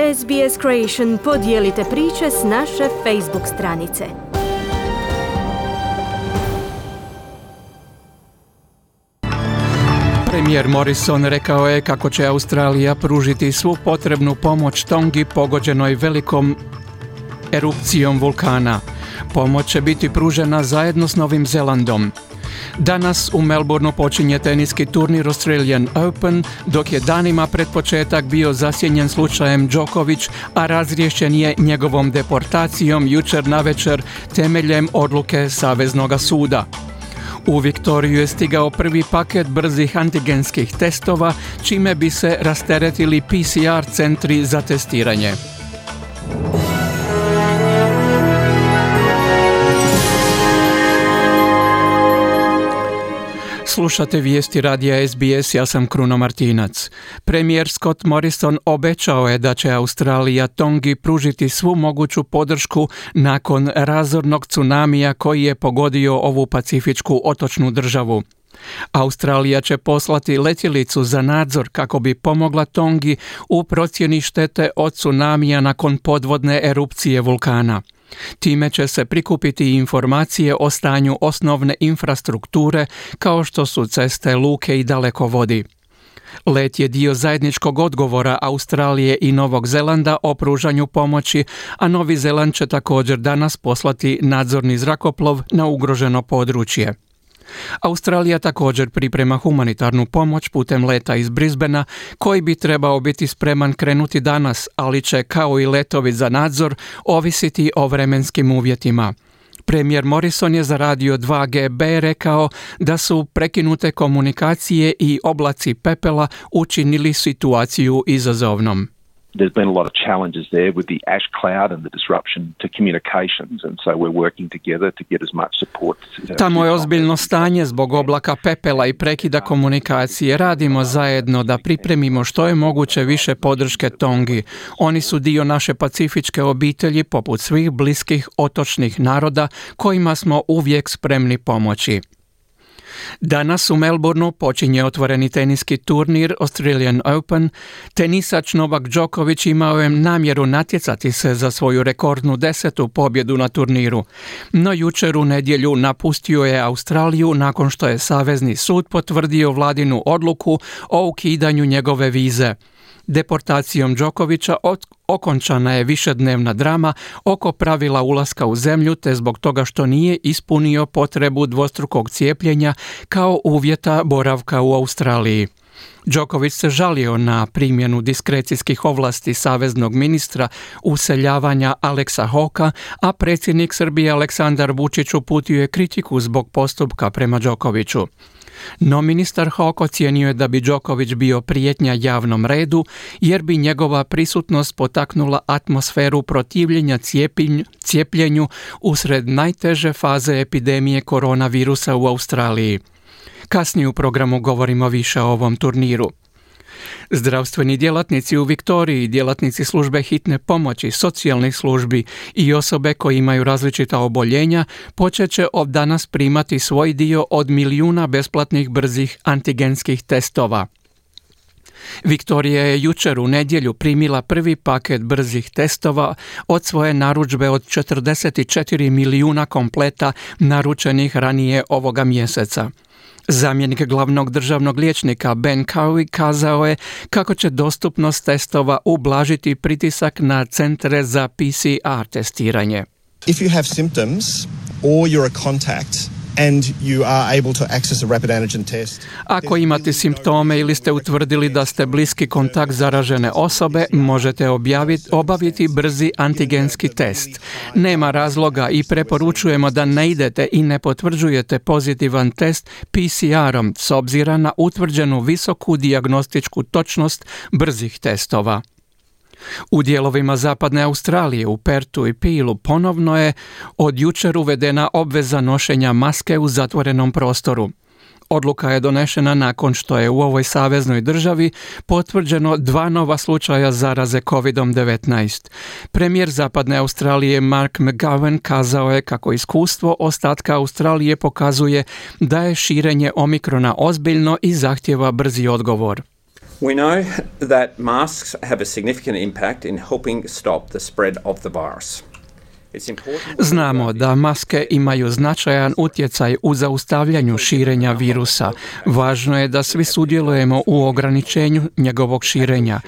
SBS Creation podijelite priče s naše Facebook stranice. Premijer Morrison rekao je kako će Australija pružiti svu potrebnu pomoć Tongi pogođenoj velikom erupcijom vulkana. Pomoć će biti pružena zajedno s Novim Zelandom. Danas u Melbourneu počinje teniski turnir Australian Open, dok je danima pred početak bio zasjenjen slučajem Djokovic, a razriješen je njegovom deportacijom jučer navečer temeljem odluke Saveznog suda. U Viktoriju je stigao prvi paket brzih antigenskih testova, čime bi se rasteretili PCR centri za testiranje. Slušate vijesti radija SBS, ja sam Kruno Martinac. Premijer Scott Morrison obećao je da će Australija Tongi pružiti svu moguću podršku nakon razornog tsunamija koji je pogodio ovu pacifičku otočnu državu. Australija će poslati letjelicu za nadzor kako bi pomogla Tongi u procjeni štete od tsunamija nakon podvodne erupcije vulkana. Time će se prikupiti informacije o stanju osnovne infrastrukture kao što su ceste, luke i dalekovodi. Let je dio zajedničkog odgovora Australije i Novog Zelanda o pružanju pomoći, a Novi Zeland će također danas poslati nadzorni zrakoplov na ugroženo područje. Australija također priprema humanitarnu pomoć putem leta iz Brisbanea koji bi trebao biti spreman krenuti danas, ali će kao i letovi za nadzor ovisiti o vremenskim uvjetima. Premijer Morrison je za Radio 2GB rekao da su prekinute komunikacije i oblaci pepela učinili situaciju izazovnom. There's been a lot of challenges there with the ash cloud and the disruption to communications, and so we're working together to get as much support. Tamo je ozbiljno stanje zbog oblaka pepela i prekida komunikacije. Radimo zajedno da pripremimo što je moguće više podrške Tongi. Oni su dio naše pacifičke obitelji poput svih bliskih otočnih naroda kojima smo uvijek spremni pomoći. Danas u Melbourneu počinje otvoreni teniski turnir Australian Open. Tenisač Novak Djokovic imao je namjeru natjecati se za svoju rekordnu 10. pobjedu na turniru. No jučer u nedjelju napustio je Australiju nakon što je Savezni sud potvrdio vladinu odluku o ukidanju njegove vize. Deportacijom Djokovića okončana je višednevna drama oko pravila ulaska u zemlju te zbog toga što nije ispunio potrebu dvostrukog cijepljenja kao uvjeta boravka u Australiji. Djokovic se žalio na primjenu diskrecijskih ovlasti saveznog ministra useljavanja Aleksa Hawkea, a predsjednik Srbije Aleksandar Vučić uputio je kritiku zbog postupka prema Djokoviću. No ministar Hawke ocijenio je da bi Djokovic bio prijetnja javnom redu jer bi njegova prisutnost potaknula atmosferu protivljenja cijepljenju usred najteže faze epidemije koronavirusa u Australiji. Kasnije u programu govorimo više o ovom turniru. Zdravstveni djelatnici u Viktoriji, djelatnici službe hitne pomoći, socijalnih službi i osobe koje imaju različita oboljenja počet će od danas primati svoj dio od 1 milijuna besplatnih brzih antigenskih testova. Viktorija je jučer u nedjelju primila prvi paket brzih testova od svoje narudžbe od 44 milijuna kompleta naručenih ranije ovoga mjeseca. Zamjenik glavnog državnog liječnika Ben Cowie kazao je kako će dostupnost testova ublažiti pritisak na centre za PCR testiranje. If you have symptoms or you're a contact and you are able to access a rapid antigen test. Ako imate simptome ili ste utvrdili da ste bliski kontakt zaražene osobe, možete obaviti brzi antigenski test. Nema razloga i preporučujemo da ne idete i ne potvrđujete pozitivan test PCR-om s obzirom na utvrđenu visoku dijagnostičku točnost brzih testova. U dijelovima zapadne Australije, u Pertu i Peelu ponovno je od jučer uvedena obveza nošenja maske u zatvorenom prostoru. Odluka je donešena nakon što je u ovoj saveznoj državi potvrđeno 2 nova slučaja zaraze COVID-19. Premijer zapadne Australije Mark McGowan kazao je kako iskustvo ostatka Australije pokazuje da je širenje omikrona ozbiljno i zahtijeva brzi odgovor. We know that masks have a significant impact in helping stop the spread of the virus. Znamo da maske imaju značajan utjecaj u zaustavljanju širenja virusa. Važno je da svi sudjelujemo u ograničenju njegovog širenja.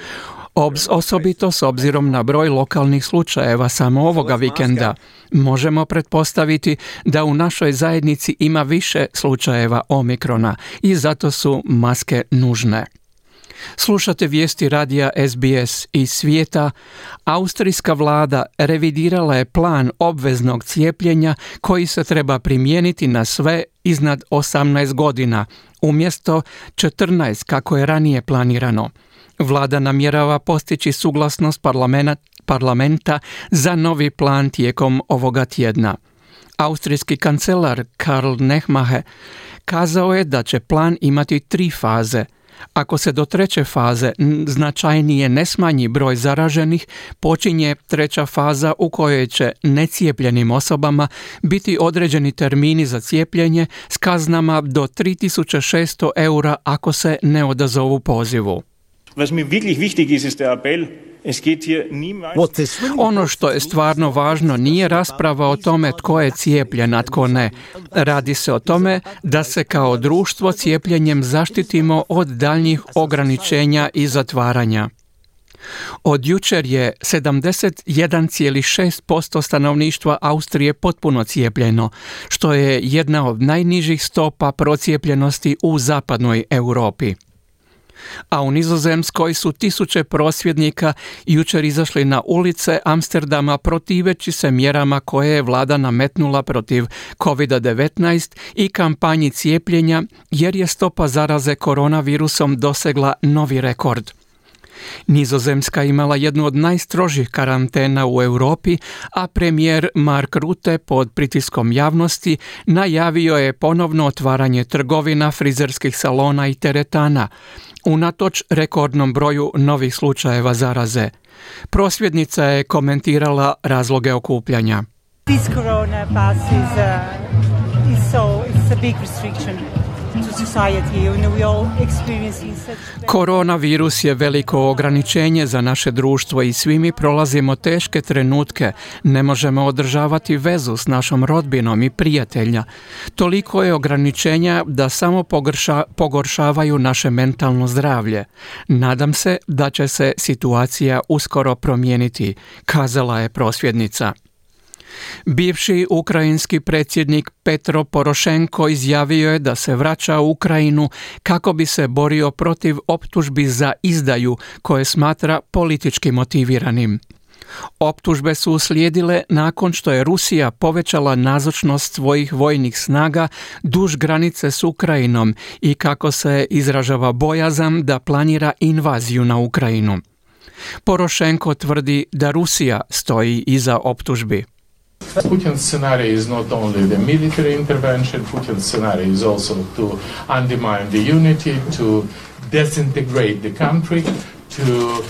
Osobito s obzirom na broj lokalnih slučajeva samo ovoga vikenda. Možemo pretpostaviti da u našoj zajednici ima više slučajeva omikrona i zato su maske nužne. Slušate vijesti radija SBS iz svijeta. Austrijska vlada revidirala je plan obveznog cijepljenja koji se treba primijeniti na sve iznad 18 godina, umjesto 14 kako je ranije planirano. Vlada namjerava postići suglasnost parlamenta za novi plan tijekom ovoga tjedna. Austrijski kancelar Karl Nehammer kazao je da će plan imati 3 faze. Ako se do 3. faze značajnije ne smanji broj zaraženih, počinje 3. faza u kojoj će necijepljenim osobama biti određeni termini za cijepljenje s kaznama do 3.600 eura ako se ne odazovu pozivu. Ono što je stvarno važno nije rasprava o tome tko je cijepljen, a tko ne. Radi se o tome da se kao društvo cijepljenjem zaštitimo od daljnjih ograničenja i zatvaranja. Od jučer je 71,6% stanovništva Austrije potpuno cijepljeno, što je jedna od najnižih stopa procijepljenosti u zapadnoj Europi. A u Nizozemskoj su tisuće prosvjednika jučer izašli na ulice Amsterdama protiveći se mjerama koje je vlada nametnula protiv COVID-19 i kampanji cijepljenja jer je stopa zaraze koronavirusom dosegla novi rekord. Nizozemska imala jednu od najstrožih karantena u Europi, a premijer Mark Rutte pod pritiskom javnosti najavio je ponovno otvaranje trgovina, frizerskih salona i teretana, unatoč rekordnom broju novih slučajeva zaraze. Prosvjednica je komentirala razloge okupljanja. This corona pass it's a big restriction to society. You know, we all experiencing such... Koronavirus je veliko ograničenje za naše društvo i svi mi prolazimo teške trenutke. Ne možemo održavati vezu s našom rodbinom i prijatelja. Toliko je ograničenja da samo pogoršavaju naše mentalno zdravlje. Nadam se da će se situacija uskoro promijeniti, kazala je prosvjednica. Bivši ukrajinski predsjednik Petro Porošenko izjavio je da se vraća u Ukrajinu kako bi se borio protiv optužbi za izdaju koje smatra politički motiviranim. Optužbe su uslijedile nakon što je Rusija povećala nazočnost svojih vojnih snaga duž granice s Ukrajinom i kako se izražava bojazan da planira invaziju na Ukrajinu. Porošenko tvrdi da Rusija stoji iza optužbi. Putin's scenario is not only the military intervention, Putin's scenario is also to undermine the unity, to disintegrate the country, to...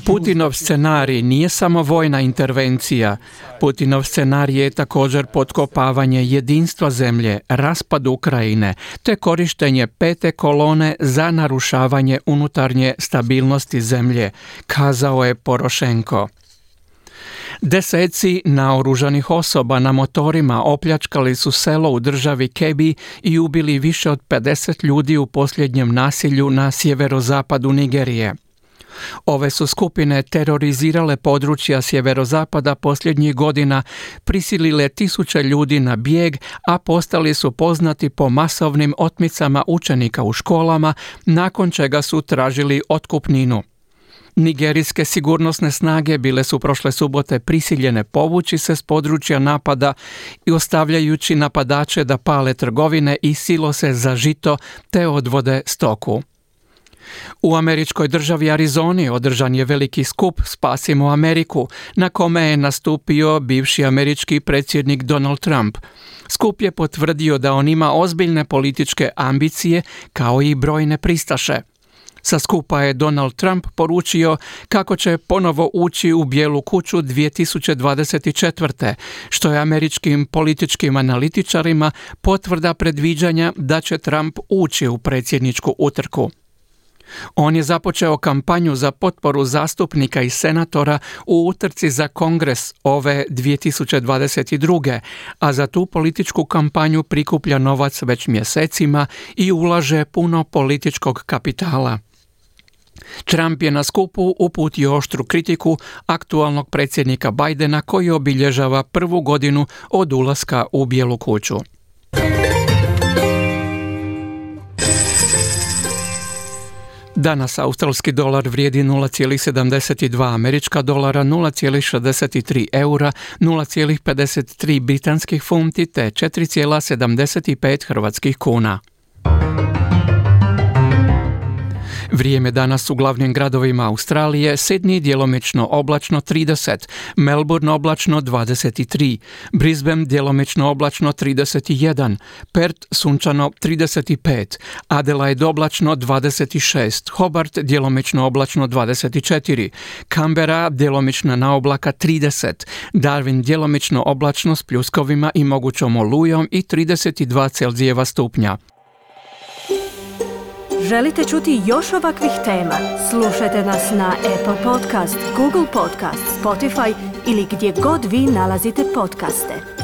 Putinov scenarij nije samo vojna intervencija. Putinov scenarij je također potkopavanje jedinstva zemlje, raspad Ukrajine, te korištenje 5. kolone za narušavanje unutarnje stabilnosti zemlje, kazao je Porošenko. Deseci naoružanih osoba na motorima opljačkali su selo u državi Kebbi i ubili više od 50 ljudi u posljednjem nasilju na sjeverozapadu Nigerije. Ove su skupine terorizirale područja sjeverozapada posljednjih godina, prisilile tisuće ljudi na bijeg, a postali su poznati po masovnim otmicama učenika u školama, nakon čega su tražili otkupninu. Nigerijske sigurnosne snage bile su prošle subote prisiljene povući se s područja napada i ostavljajući napadače da pale trgovine i silose za žito te odvode stoku. U američkoj državi Arizoni održan je veliki skup Spasimo Ameriku, na kome je nastupio bivši američki predsjednik Donald Trump. Skup je potvrdio da on ima ozbiljne političke ambicije kao i brojne pristaše. Sa skupa je Donald Trump poručio kako će ponovo ući u Bijelu kuću 2024. što je američkim političkim analitičarima potvrda predviđanja da će Trump ući u predsjedničku utrku. On je započeo kampanju za potporu zastupnika i senatora u utrci za Kongres ove 2022. a za tu političku kampanju prikuplja novac već mjesecima i ulaže puno političkog kapitala. Trump je na skupu uputio oštru kritiku aktualnog predsjednika Bidena koji obilježava prvu godinu od ulaska u Bijelu kuću. Danas australski dolar vrijedi 0,72 američka dolara, 0,63 eura, 0,53 britanskih funti te 4,75 hrvatskih kuna. Vrijeme danas u glavnim gradovima Australije: Sydney djelomično oblačno 30, Melbourne oblačno 23, Brisbane djelomično oblačno 31, Perth sunčano 35, Adelaide oblačno 26, Hobart djelomično oblačno 24, Canberra djelomično na oblaka 30, Darwin djelomično oblačno s pljuskovima i mogućom olujom i 32 Celzijeva stupnja. Želite čuti još ovakvih tema? Slušajte nas na Apple Podcast, Google Podcast, Spotify ili gdje god vi nalazite podcaste.